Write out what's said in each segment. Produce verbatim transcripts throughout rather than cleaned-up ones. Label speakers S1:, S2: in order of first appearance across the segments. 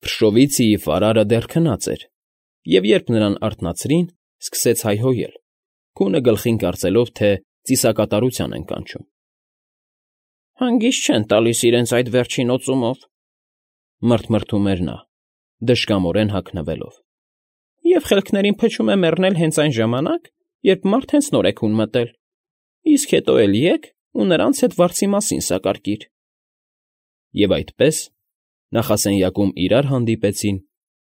S1: Փրշովիցիի ֆարարը դեռ քնած էր, և երբ նրան արթնացրին, սկսեց հայհոյել, քունը գլխին կարծելով, թե ծիսակատարության են կանչում։ ֊ Հանգիստ չեն տալիս իրենց այդ վերջին օծումով,֊ մռթմռթում էր նա, դժկամորեն հագնվելով,֊ և խելքներին փչում է մեռնել հենց այն ժամանակ, երբ մարդ հենց նոր է քուն մտել, իսկ հետո էլի եկ ու նրանց հետ վարձի մասին սակարկիր… Եվ այդպես, նախասենյակում իրար հանդիպեցին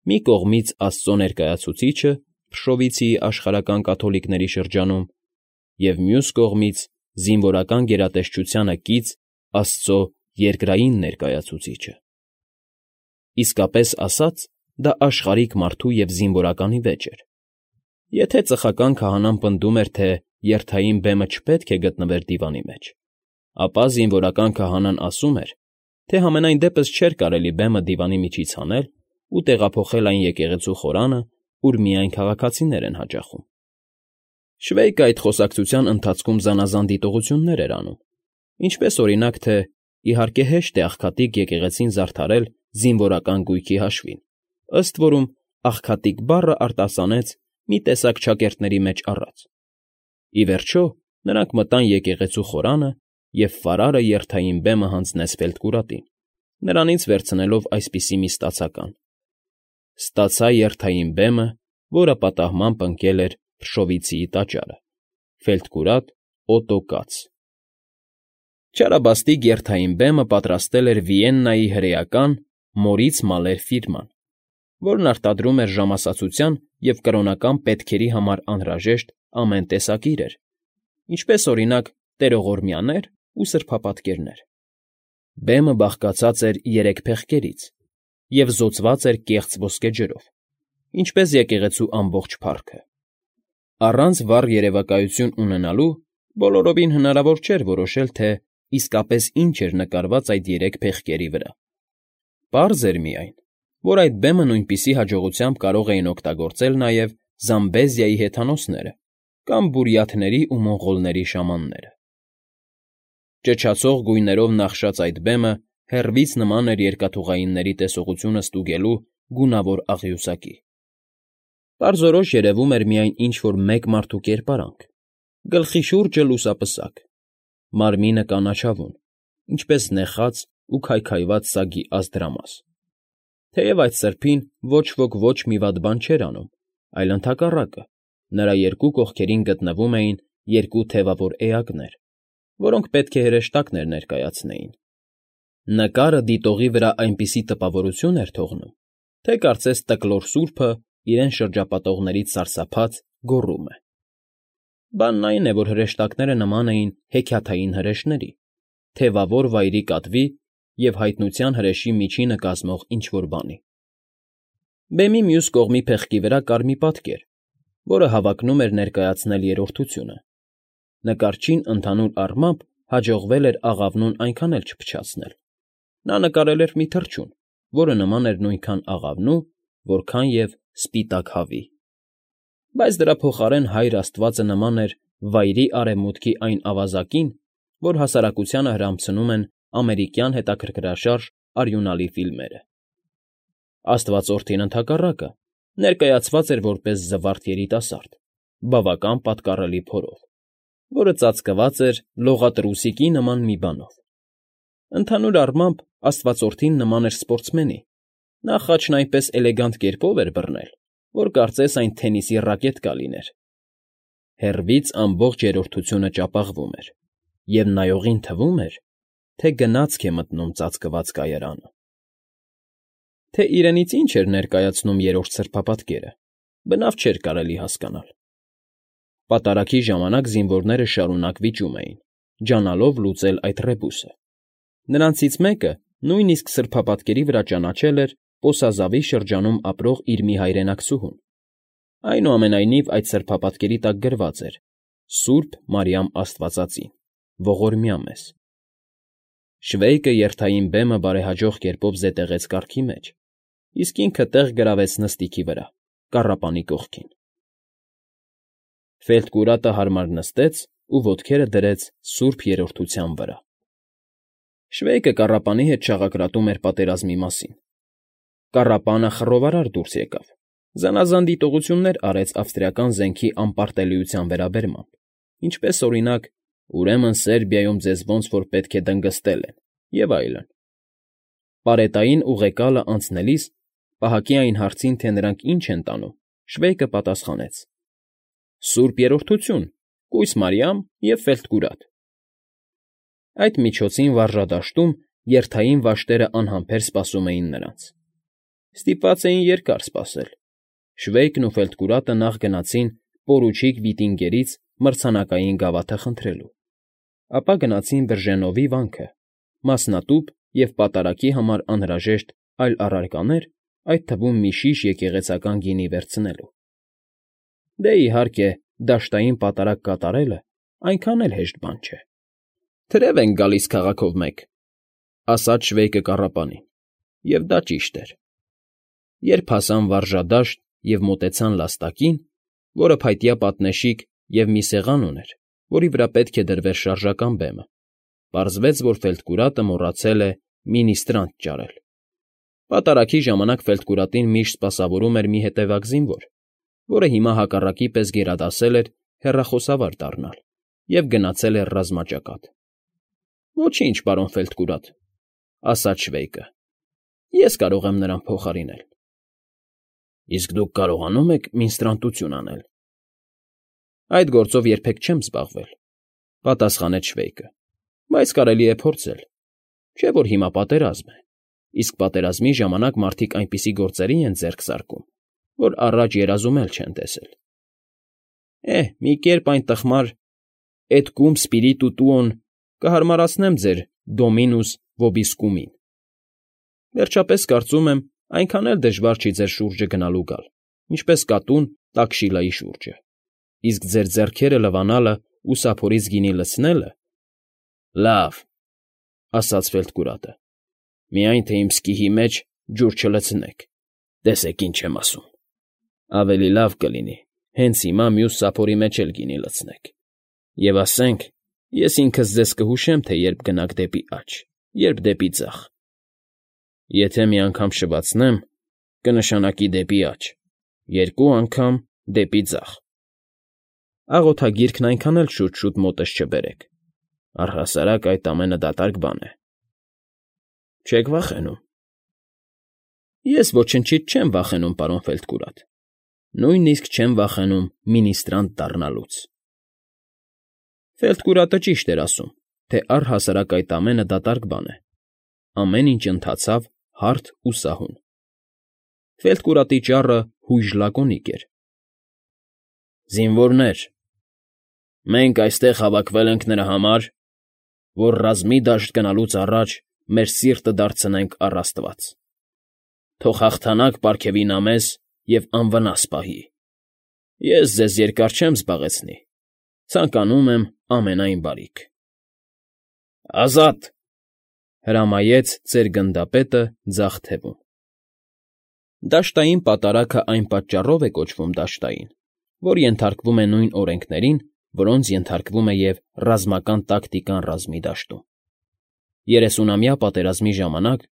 S1: մի կողմից աստծո ներկայացուցիչը Փրշովիցիի աշխարհական կաթոլիկների շրջանում և մյուս կողմից զինվորական գերատեսչությանը կից աստծո երկրային ներկայացուցիչը… Իսկապես ասած, դա աշխարհիկ մարդու և զինվորականի վեճ էր. եթե ծխական քահանան պնդում էր, թե երթային բեմը չպետք է գտնվեր դիվանի մեջ, ապա զինվորական քահանան ասում էր, թե համենայն դեպս չէր կարելի բեմը դիվանի միջից հանել ու տեղափոխել այն եկեղեցու խորանը, ուր միայն քաղաքացիներ են հաճախում… Շվեյկը այդ խոսակցության ընթացքում զանազան դիտողություններ էր անում, ինչպես, օրինակ, թե իհարկե հեշտ է աղքատիկ եկեղեցին զարդարել զինվորական գույքի հաշվին, ըստ որում «աղքատիկ» բառը արտասանեց մի տեսակ չակերտների մեջ առած… Ի վերջո, նրանք մտան եկեղեցու խորանը, և ֆարարը երթային բեմը հանձնեց ֆելտկուրատին, նրանից վերցնելով այսպիսի մի ստացական. «Ստացա երթային բեմը, որը պատահմամբ ընկել էր Փրշովիցիի տաճարը. ֆելտկուրատ Օտո Կաց»… Չարաբաստիկ երթային բեմը պատրաստել էր Վիեննայի հրեական Մորից Մալեր ֆիրման, որն արտադրում էր ժամասացության և կրոնական պետքերի համար անհրաժեշտ ամեն տեսակ իրեր, ինչպես, օրինակ, տերողորմյաներ ու սրբապատկերներ… Բեմը բաղկացած էր երեք փեղկերից և զօծված էր կեղծ ոսկեջրով, ինչպես եկեղեցու ամբողջ փառքը… Առանց վառ երևակայություն ունենալու բոլորովին հնարավոր չէր որոշել, թե իսկապես ինչ էր նկարված այդ երեք փեղկերի վրա… Պարզ էր միայն, որ այդ բեմը նույնպիսի հաջողությամբ կարող էին օգտագործել նաև Զամբեզիայի հեթանոսները կամ բուրյաթների ու մոնղոլների շամանները… Ճչացող գույներով նախշած այդ բեմը հեռվից նման էր երկաթուղայինների տեսողությունը ստուգելու գունավոր աղյուսակի… Պարզորոշ երևում էր միայն ինչ֊որ մեկ մարդու կերպարանք, գլխի շուրջը լուսապսակ, մարմինը կանաչավուն, ինչպես նեխած ու քայքայված սագի ազդրամաս… Թեև այդ սրբին ոչ ոք ոչ մի վատ բան չէր անում, այլ ընդհակառակը, նրա երկու կողքերին գտնվում էին երկու թևավոր էակներ, որոնք պետք է հրեշտակներ ներկայացնեին… Նկարը դիտողի վրա այնպիսի տպավորություն էր թողնում, թե կարծես Տկլոր սուրբը իրեն շրջապատողներից սարսափած գոռում է… Բանն այն է, որ հրեշտակները նման էին հեքիաթային հրեշների, թևավոր վայրի կատվի և հայտնության հրեշի միջինը կազմող ինչ֊որ բանի… Բեմի մյուս կողմի փեղկի վրա կար մի պատկեր, որը հավակնում էր ներկայացնել երրորդությունը… Նկարչին ընդհանուր առմամբ հաջողվել էր աղավնուն այնքան էլ չփչացնել… Նա նկարել էր մի թռչուն, որը նման էր նույնքան աղավնու, որքան և սպիտակ հավի… Բայց դրա փոխարեն Հայր Աստվածը նման էր Վայրի Արևմուտքի այն ավազակին, որ հասարակությանը հրամցնում են ամերիկյան հետաքրքրաշարժ արյունալի ֆիլմերը… Աստվածորդին, ընդհակառակը, ներկայացված էր որպես զվարթ երիտասարդ, բավական պատկառելի փորով, որը ծածկված էր լողատրուսիկի նման մի բանով… Ընդհանուր առմամբ աստվածորդին նման էր սպորտսմենի, նա խաչն այնպես էլեգանտ կերպով էր բռնել, որ կարծես այն թենիսի ռակետկա լիներ… Հեռվից ամբողջ երրորդությունը ճապաղվում էր, և նայողին թվում էր, թե գնացք է մտնում ծածկված կայարանը… Թե իրենից ինչ էր ներկայացնում երրորդ սրբապատկերը, բնավ չէր կարելի հասկանալ… Պատարագի ժամանակ զինվորները շարունակ վիճում էին, ջանալով լուծել այդ ռեբուսը… Նրանցից մեկը նույնիսկ սրբապատկերի վրա ճանաչել էր Պոսազավի շրջանում ապրող իր մի հայրենակցուհուն… Այնուամենայնիվ, այդ սրբապատկերի տակ գրված էր. «Սուրբ Մարիամ Աստվածածին, ողորմյա մեզ»… Շվեյկը երթային բեմը բարեհաջող կերպով զետեղեց կառքի մեջ, իսկ ինքը տեղ գրավեց նստիքի վրա, կառապանի կողքին… Ֆելտկուրատը հարմար նստեց ու ոտքերը դրեց սուրբ երրորդության վրա… Շվեյկը կառապանի հետ շաղակրատում էր պատերազմի մասին… Կառապանը խռովարար դուրս եկավ, զանազան դիտողություններ արեց ավստրիական զենքի անպարտելիության վերաբերմամբ, ինչպես, օրինակ, ուրեմն Սերբիայում ձեզ ոնց որ պետք է դնգստել են, և այլն։ Պարետային ուղեկալը անցնելիս, պահակի այն հարցին, թե նրանք ինչ են տանում, Շվեյկը պատասխանեց. «Սուրբ Երրորդություն, կույս Մարիամ և Ֆելտկուրատ»։ Այդ միջոցին վարժադաշտում երթային վաշտերը անհամբեր սպասում էին նրանց։ Ստիպված էին երկար սպասել։ Շվեյկն ու Ֆելտկուրատը նախ գնացին պորուչիկ Վիտինգերից մրցանակային գավաթը խնդրելու, ապա գնացին Բրժենովի վանքը, մասնատուփ և պատարագի համար անհրաժեշտ այլ առարկաներ, այդ թվում մի շիշ եկեղեցական գինի վերցնելու։ Դե, իհարկե, դաշտային պատարագ կատարելը այնքան էլ հեշտ բան չէ։ ֊ Թրև ենք գալիս քաղաքով մեկ,֊ ասաց Շվեյկը կառապանին, և դա ճիշտ էր։ Երբ հասան վարժադաշտ և մոտեցան լաստակին, որը փայտյա պատնեշիկ և մի սեղան ուներ, որի վրա պետք է դրվեր շարժական բեմը, պարզվեց, որ Ֆելտկուրատը մոռացել է մինիստրանտ ճարել։ Պատարագի ժամանակ Ֆելտկուրատին միշտ սպասավորում էր մի հետևակ զինվոր, որը հիմա հակառակի պես գերադասել էր հեռախոսավար դառնալ և գնացել էր ռազմաճակատ։ ֊ Ոչինչ, պարոն Ֆելտկուրատ,֊ ասաց Շվեյկը,֊ ես կարող եմ նրան փոխարինել։ ֊ Իսկ դուք կարողանո՞ւմ եք մինիստրանտություն անել։ ֊ Այդ գործով երբեք չեմ զբաղվել,֊ պատասխանեց Շվեյկը,֊ բայց կարելի է փորձել։ Չէ՞ որ հիմա պատերազմ է, իսկ պատերազմի ժամանակ մարդիկ այնպիսի գործերի են ձեռք զարկում, որ առաջ երազում էլ չեն տեսել։ Էհ, մի կերպ այն տխմար «Et cum spiritu tuon» կհարմարացնեմ ձեր Dominus vobiscum֊ին։ Վերջապես, կարծում եմ, այնքան էլ դժվար չի ձեր շուրջը գնալ ու գալ, ինչպես կատուն տակշիլայի շուրջը, իսկ ձեր ձեռքերը լվանալը ու սափորից գինի լցնելը… ֊ Լավ,֊ ասաց Ֆելտկուրատը,֊ միայն թե իմ սկիհի մեջ ջուր չլցնեք, տեսեք, ինչ եմ ասում։ Ավելի լավ կլինի հենց հիմա մյուս սափորի մեջ էլ գինի լցնեք, և ասենք, ես ինքս ձեզ կհուշեմ, թե երբ գնաք դեպի աջ, երբ դեպի ձախ։ Եթե մի անգամ շվացնեմ, կնշանակի դեպի աջ, երկու անգամ՝ դեպի ձախ։ Աղոթագիրքն այնքան էլ շուտ֊շուտ մոտս չբերեք, առհասարակ այդ ամենը դատարկ բան է։ Չե՞ք վախենում։ ֊ Ես ոչնչից չեմ վախենում, պարոն Ֆելտկուրատ, նույնիսկ չեմ վախենում մինիստրանտ դառնալուց։ Ֆելտկուրատը ճիշտ էր ասում, թե առհասարակ այդ ամենը դատարկ բան է։ Ամեն ինչ ընթացավ հարթ ու սահուն։ Ֆելտկուրատի ճառը հույժ լակոնիկ էր։ Զինվորներ, մենք այստեղ հավաքվել ենք նրա համար, որ ռազմի դաշտ գնալուց առաջ մեր սիրտը դարձնենք առ Աստված։ Թող հաղթանակ պարգևի նա մեզ և անվնաս պահի։ Ես ձեզ երկար չեմ զբաղեցնի, ցանկանում եմ ամենայն բարիք։ ֊ Ազատ,֊ հրամայեց ծեր գնդապետը ձախ թևում։ Դաշտային պատարագը այն պատճառով է կոչվում դաշտային, որ ենթարկվում է նույն օրենքներին, որոնց ենթարկվում է և ռազմական տակտիկան ռազմի դաշտում։ Երեսունամյա պատերազմի ժամանակ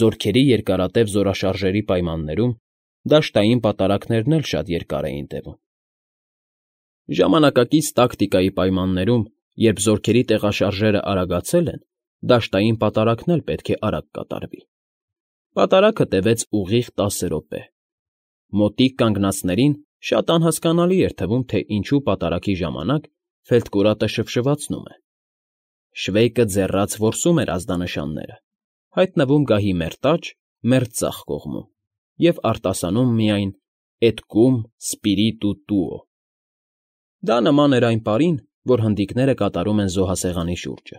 S1: զորքերի երկարատև զորաշարժերի պայմաններում դաշտային պատարագներն էլ շատ երկար էին տևում։ Ժամանակակից տակտիկայի պայմաններում, երբ զորքերի տեղաշարժերը արագացել են, դաշտային պատարագն էլ պետք է արագ կատարվի։ Պատարագը տևեց ուղիղ տասը րոպե։ Մոտիկ կանգնածներին շատ անհասկանալի էր թվում, թե ինչու պատարագի ժամանակ Ֆելտկուրատը շվշվացնում է։ Շվեյկը ձեռաց որսում էր ազդանշանները, հայտնվում գահի մերթ աջ, մերթ ձախ կողմում և արտասանում միայն «Et cum spiritu tuo»։ Դա նման էր այն պարին, որ հնդիկները կատարում են զոհասեղանի շուրջը։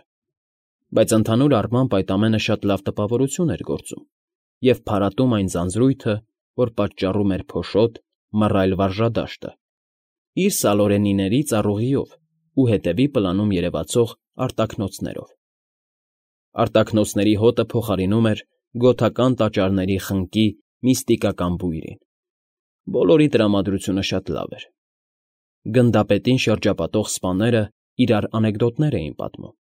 S1: Բայց ընդհանուր առմամբ այդ ամենը շատ լավ տպավորություն էր գործում և փարատում այն ձանձրույթը, որ պատճառում էր փոշոտ, մռայլ վարժադաշտը, իր սալորենիների ծառուղիով ու հետևի պլանում երևացող արտաքնոցներով։ Արտաքնոցների հոտը փոխարինում էր գոթական տաճարների խնկի միստիկական բույրին։ Բոլորի տրամադրությունը շատ լավ էր։ Գնդապետին շրջապատող սպաները իրար անեկդոտներ էին պատմում,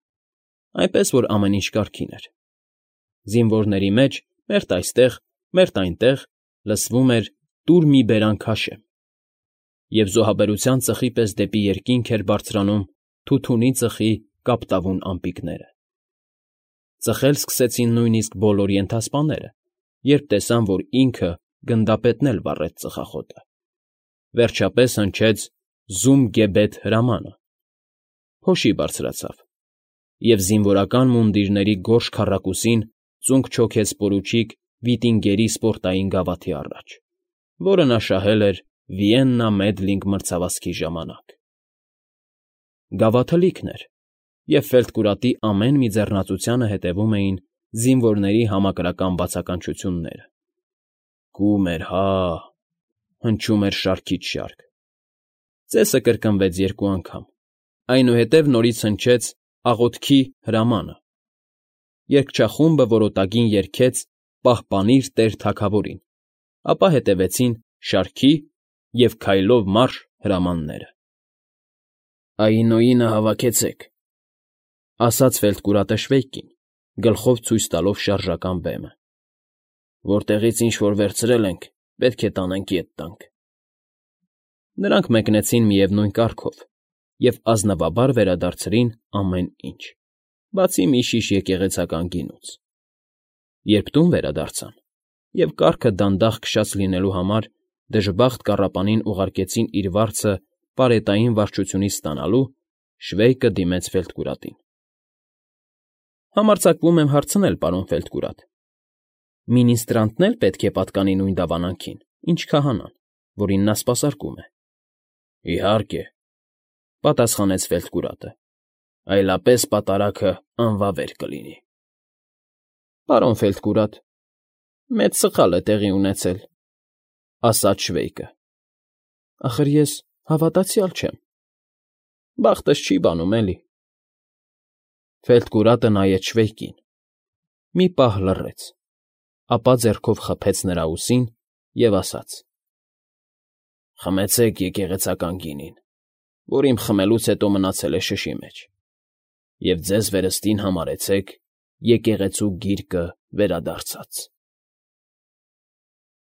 S1: այնպես որ ամեն ինչ կարգին էր։ Զինվորների մեջ, մերթ այստեղ, Մերթ այնտեղ լսվում էր «տուր մի բերան քաշեմ», և զոհաբերության ծխի պես դեպի երկինք էր բարձրանում թութունի ծխի կապտավուն ամպիկները։ Ծխել սկսեցին նույնիսկ բոլոր ենթասպաները, երբ տեսան, որ ինքը գնդապետն էլ վառեց ծխախոտը։ Վերջապես հնչեց «Զում-գեբեթ» հրամանը։ Փոշի բարձրացավ, և զինվորական մունդիրների գորշ քառակուսին ծունկ չոքեց պորուչիկ Վիտինգերի սպորտային գավաթի առաջ, որը նա շահել էր Վիեննա Մեդլինգ մրցավազքի ժամանակ։ Գավաթը լիքն էր, և ֆելտկուրատի ամեն մի ձեռնածությանը հետևում էին զինվորների համակրական բացականչությունները. «Կում էր, հա՜», հնչում էր շարքից շարք։ Ծեսը կրկնվեց երկու անգամ, այնուհետև նորից հնչեց «աղոթքի» հրամանը։ Երգչախումբը որոտագին երգեց «Պահպանիր Տեր Թագավորին», ապա հետևեցին «Շարքի» և «Քայլով մարշ» հրամանները։ «Այինոյինը հավաքեցեք», ֊ ասաց ֆելտկուրատը Շվեյկին, գլխով ցույց տալով շարժական բեմը։ «Որտեղից ինչ֊որ վերցրել ենք, պետք է տանենք ետ տանք»։ Նրանք մեկնեցին միևնույն կարգով և ազնվաբար վերադարձրին ամեն ինչ, բացի մի շիշ եկեղեցական գինուց։ Երբ տուն վերադարձան և կառքը դանդաղ քշած լինելու համար դժբախտ կառապանին ուղարկեցին իր վարձը պարետային վարչությունից ստանալու, Շվեյկը դիմեց ֆելտկուրատին։ «Համարձակվում եմ հարցնել, պարոն Ֆելտկուրատ. մինիստրանտն էլ պետք է պատկանի նույն դավանանքին, ինչ քահանան, որին նա սպասարկում է»։ ֊ Իհարկե, ֊ պատասխանեց ֆելտկուրատը, ֊ այլապես պատարագը անվավեր կլինի։ ֊ Պարոն Ֆելտկուրատ, մեծ սխալ է տեղի ունեցել, ֊ ասաց Շվեյկը։ ֊ Ախր ես հավատացյալ չեմ։ Բախտս չի բանում, էլի։ Ֆելտկուրատը նայեց Շվեյկին, մի պահ լռեց, ապա ձեռքով խփեց նրա ուսին և ասաց. ֊ Խմեցեք եկեղեցական գինին, որ իմ խմելուց հետո մնացել է շշի մեջ, և ձեզ վերստին համարեցեք եկեղեցու գիրկը վերադարձած։